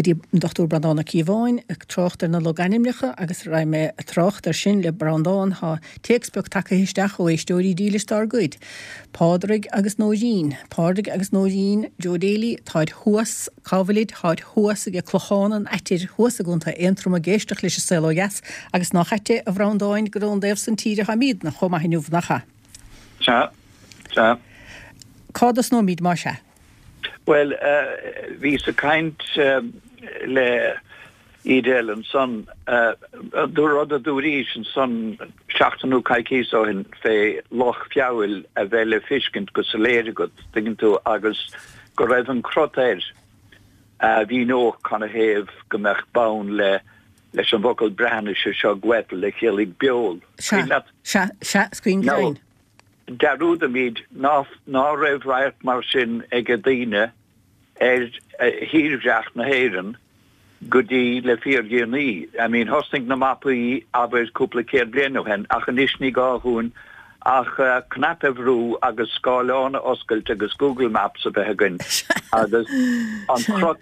Go dtí an Dr Breandán Ó Cíobháin ag trácht ar na logainmneacha agus raghadh mé ag trácht ar sin le Breandán tá téacs beag tagtha isteach ó éisteoirí dílis dár gcuid. Pádraig agus Nóirín. Pádraig agus Nóirín, Joe Daly, táid thuas, cá bhfuilid, táid thuas ag Clochán an Aittir, thuas i gContae Aontroma ag éisteacht leis an Saol Ó Dheas agus nách ait é a Bhreandáin gur ón dtaobh san tíre atáimídne chomh maith inniu, nach ea? Sea, sea. Cá dtosnóimíd más ea? Bhuel, bhíos ag caint le Edel ansan, rud a dúraís ansan seachtain nó coicíos ó shin fé Loch Feabhail a bheith le feiscint go soiléir agat, tuigeann tú, agus go raibh an crot air a mhíneodh canathaobh go mbeadh bonn le leis an bhfocal Breatnaise seo gweddl a chiallaigh beol. Sea, sea, sea, is cuimhin go deimhin. Dearúdaimid ná raibh radharc mar sin age daoine ar thírdhreach na hÉireann go dtí le fíordhéanaí. I mean, thosnaigh na mapaí, abair, cúpla céad bliain ó shin, ach anois ní gá dhúinn ach cnaipe a bhrú agus scáileán a oscailt agus Google Maps a bheith againn agus an crot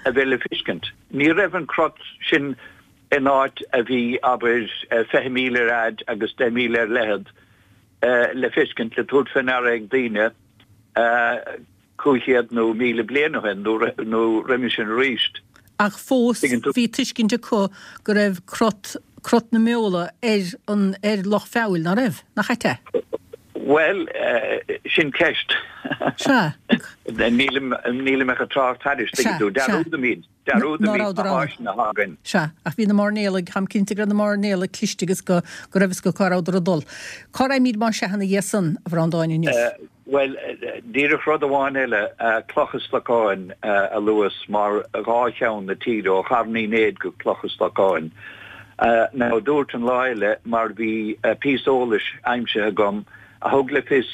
a bheith le feiscint. Ní raibh an crot sin in áit a bhí, abair, 20 míle ar fhaid agus 10 míle ar leithead le feiscint, le tabhairt fé ndeara ag daoine 500 nó 1,000 bliain ó shin nó roimhe sin arís. Ach fós bhí tuiscint acu go raibh crot, crot na mbeola ar an, ar Loch Feabhail, ná raibh? Nach ait é? Bhuel, sin ceist. Sea. Nílim, nílim ach ag trácht thairis, tuigeann tú. Dearúdaimid, dearúdaimid na háiseanna atá againn. Sea, ach bhí na mairnéalaigh, táim cinnte go raibh na mairnéalaigh cliste agus go, go raibh fhios acu cá rabhadar ag dul. Cá raghaimid más ea ina dhiaidh san, a Bhreandáin, inniu? Bhuel, díreach rud amháin eile, Cloch an Stocáin a luas mar dhá cheann na tíre, ó Charn Uí Néid go Cloch an Stocáin. Now, dúirt an lá eile, mar bhí píosa eolais aimsithe agam a thug le fios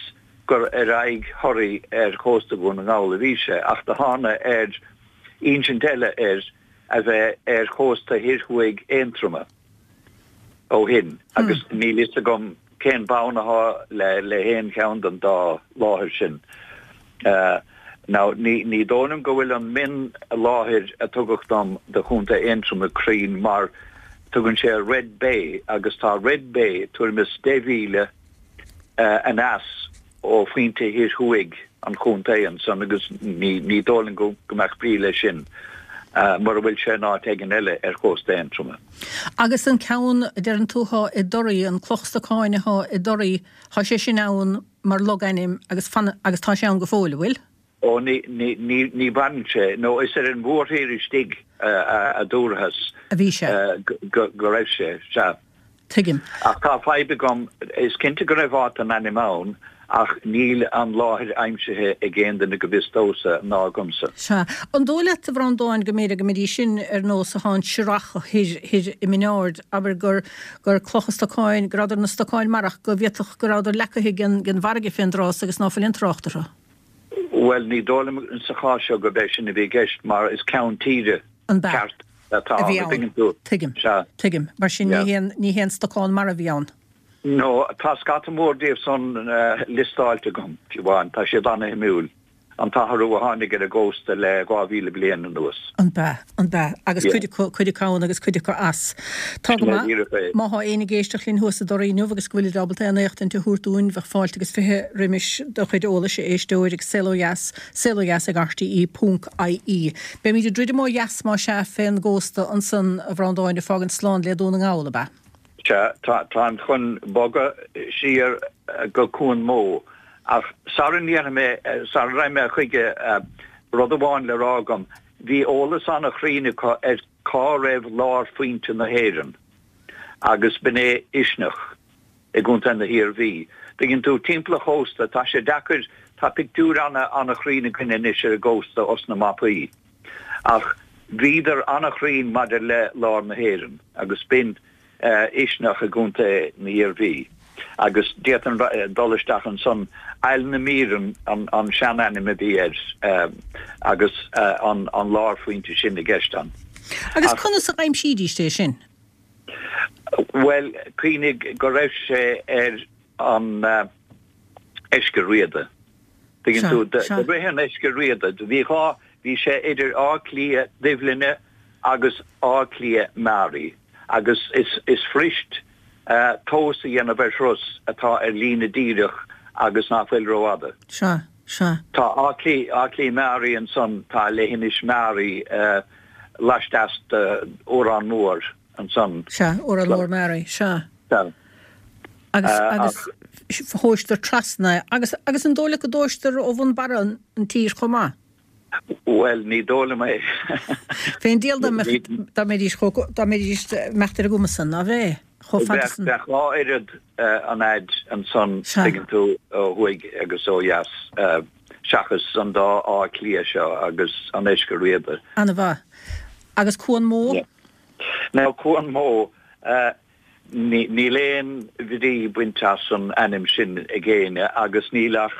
gur ar aghaidh Thoraí ar chósta Dhún na nGall a bhí sé, ach do thána ar insint eile air a bheith ar chósta thoir thuaidh Aontroma. ó shin agus níl fhios agam cén bonn athá le haon cheann den dá láthair sin. Now ní ní dóigh liom go bhfuil an mion-láthair a tugadh dom do Chontae Aontroma cruinn mar tugann sé Red Bay agus tá Red Bay tuairim is 10 mhíle aneas ó phointe thoir thuaidh an chontae ansan agus ní dóigh liom go mbeadh brí leis sin mura bhfuil sé in áit éigin eile ar chósta Aontroma. Agus an ceann a deireann tú athá i dToraí, an Cloch Stocáin athá i dToraí, thá sé sin ann mar logainm agus fan agus tá sé ann go fóill, an bhfuil? Ó, ní, ní, ní, ní mhaireann sé, nó is ar an mhórthír istigh a dúrathas. A bhí sé. Go, go raibh sé, sea. Tuigim. Ach tá fadhb agam, is cinnte go raibh áit den ainm ann, ach níl an láthair aimsithe ag aon duine go bhfios domhsa, ná agamsa. Sea. An dóigh leat, a Bhreandáin, go mb'fhéidir go mbeidís sin ar nós athá an Srach thoir, thoir i Min Aird, abair gur, gur clocha stocáin, go rabhadar na stocáin mara ach go bhféadfadh go rabhadar leacaithe den, den bhfarraige fén dtráth so agus ná fuil aon trácht orthu? Bhuel, ní dóigh liom sa chás seo gurb é sin a bhí i gceist mar is ceann tíre ceart atá ann, an dtuigeann tú? Tuigim. Sea. Tuigim. Mar sin ní haon, ní haon stocán mara a bhí ann. No, tá scata mór díobh san liostáilte agam, fiú amháin. Tá siad ana-shuimiúil. an t-athrú a tháinig ar an gcósta le 2,000 bliain anuas. An b'ea? An b'ea? Agus cuid acu, cuid acu ann agus cuid acu as. Tá go maith. Má thá éinne ag éisteacht linn thuas i dToraí inniu agus go bhfuilid ábalta aon éachtaint a thabhairt dúinn, bheadh fáilte agus 20 roimis do chuid eolais, a éisteoir, ag Saol Ó Dheas, saolodheas ag rte ponc ie. Beimid ag druidim ó dheas más ea fén gcósta ansan, a Bhreandáin, ag fágaint slán le Dún na nGall, ab ea? Sea, táim chun bogadh siar go Cuan Mó, ach sara ndéanfaidh mé, sara raghaidh mé chuige, rud amháin le rá agam, bhí eolas an-chruinn acu ar cá raibh lárphointe na hÉireann, agus b'in é Uisneach i gContae na hIarmhí. Tuigeann tú, timpeall an chósta, tá sé deacair, tá pictiúr an-chruinn againn anois ar an gcósta os na mapaí. Ach bhíodar an-chruinn maidir le lár na hÉireann agus b'in Uisneach i gContae na hIarmhí agus d'fhéadfainn dul isteach ansan, Aill na Míreann an seanainm a bhí air agus an lárphointe sin i gceist ann. Agus conas a dh'aimsídíst é sin? Bhuel, cuimhnigh go raibh sé ar an Eiscir Riada. Tuigeann tú, do rith an Eiscir Riada, bhí dhá, bhí sé idir Áth Cliath, Duibhlinne. agus Áth Cliath Meáraí agus is fuirist tomhas a dhéanamh ar thuras atá ar líne díreach agus nach bhfuil rófhada. Sea, sea. Tá Áth Cliath, Áth Cliath Meáraí ansan, tá leithinis Meáraí laisteas d'Órán Mór ansan. Sea, Órán Mór Meáraí, sea. Sea. Agus, agus thomhaistear trasna é. Agus, agus an dóigh leat go dtomhaistear ó bhun barra an tír chomh maith? Bhuel, ní dóigh liom é. Fén diabhal dá mbeadh, dá mbeidís chomh, dá mbeidís, mbeadh ar a gcumas san, ná bheadh, chomh fada san. Bheadh dhá oiread an fhaid ansan, tuigeann tú, ó thuaidh agus ó dheas, seachas an dá Áth Cliath seo agus an Eiscir Riada. Ana-mhaith. Agus Cuan Mó? Now, Cuan Mó, níl aon bhrí bainte as an ainm sin ag éinne agus níl ach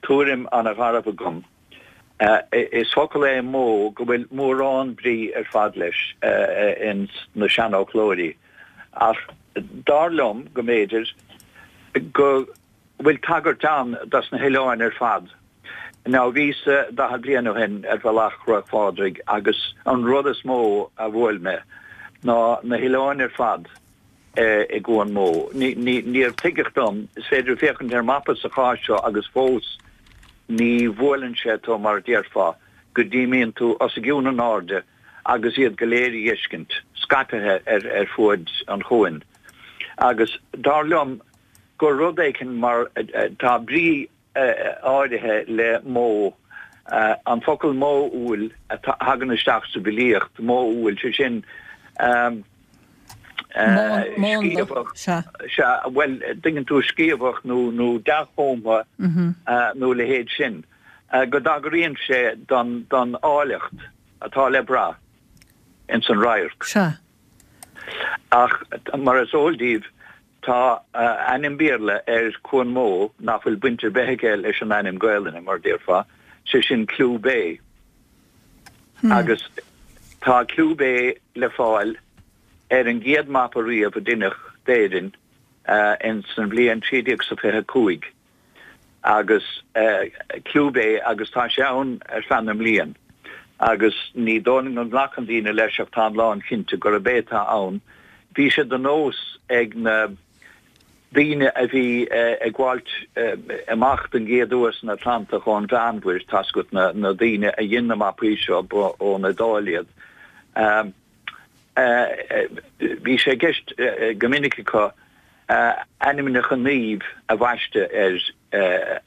tuairim ana-gharbh agam. Is focal é mó go bhfuil mórán brí ar fad leis ins na seanfhoclóirí, ach dar liom go mb'fhéidir go bhfuil tagairt ann dos na hoileáin ar fad. Now bhíos-sa 40 bliain ó shin ar bhealach Chnoc Phádraig agus an rud is mó a bhuail mé ná na hoileáin ar fad. i gCuan Mó. Níor tuigeadh dom, is féidir féachaint ar mapa sa chás seo agus fós ní bhuaileann sé tú mar a déarfá go dtí mbíonn tú os a gcionn in airde agus iad go léir a dh'fheiscint, scaipthe ar ar fuaid an chuain. Agus dar liom gur rud éicint mar tá brí áirithe le mó, an focal modhúil a thagann isteach sa bhfilíocht, modhúil, sé sin, sciamhach, sea, bhuel, tuigeann tú, sciamhach nó nó dea-chumtha nó a leithéid sin, go dtagraíonn sé don don áilleacht atá le brath ins an radharc. Sea. Ach mar is eol daoibh, Tá ainm Béarla ar Cuan Mó nach bhfuil baint ar bith aige leis an ainm Gaelainne, mar a déarfá, sé sin Clew Bay. Agus tá Clew Bay le fáil ar an gcéad mapa riamh a deineadh d'Éirinn ins an bhliain 1325. agus Clew Bay agus tá sé ann ar feadh na mblian agus ní dóigh liom go nglacann daoine leis ach táim lán chinnte gurab é atá ann. Bhí sé de nós ag na daoine a bhí ag gabháilt amach den gcéad uair san Atlantach ón Mheánmhuir, tá's agat, na daoine a dhein na mapaí seo, ba ón Iodáil iad. Bhí sé i gceist go minic acu ainmneacha naomh a bhaisteadh ar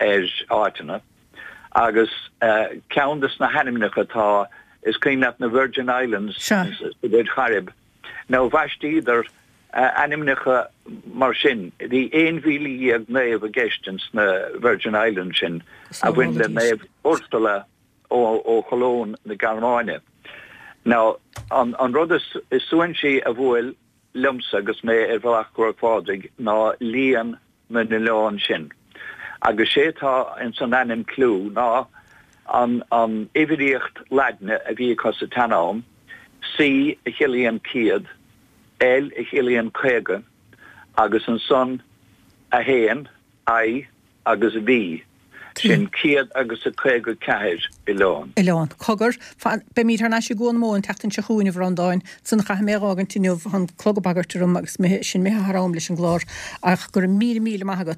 ar áiteanna agus ceann de na hainmneacha atá, is cuimhin leat na Virgin Islands sa Mhuir Chairib, now bhaistíodar ainmneacha mar sin, bhí 11,000 naomh i gceist ins na Virgin Islands sin a bhain le Naomh Ursula ó Cholóim na Gearmáine. Now, an rud is suaithinsí a bhuail liomsa agus mé ar bhealach Chnoc Phádraig ná líon na n-oileán sin. Agus sé atá ins an ainm Clew ná an an uimhríocht Laidne a bhí acu sa tsean-am, C a chiallaíonn 100, L a chiallaíonn 50, agus ansan 1, I agus V, sin 100 agus a 54 oileán. Oileán. Cogar, fan, beimid thar n-ais i gCuan Mó an tseachtain seo chugainn, a Bhreandáin. Ansan caithfidh mé a dh'fhágaint inniu, tá an clog ag bagairt orm agus sin mé thar am leis an gclár, ach go raibh míle míle maith agat.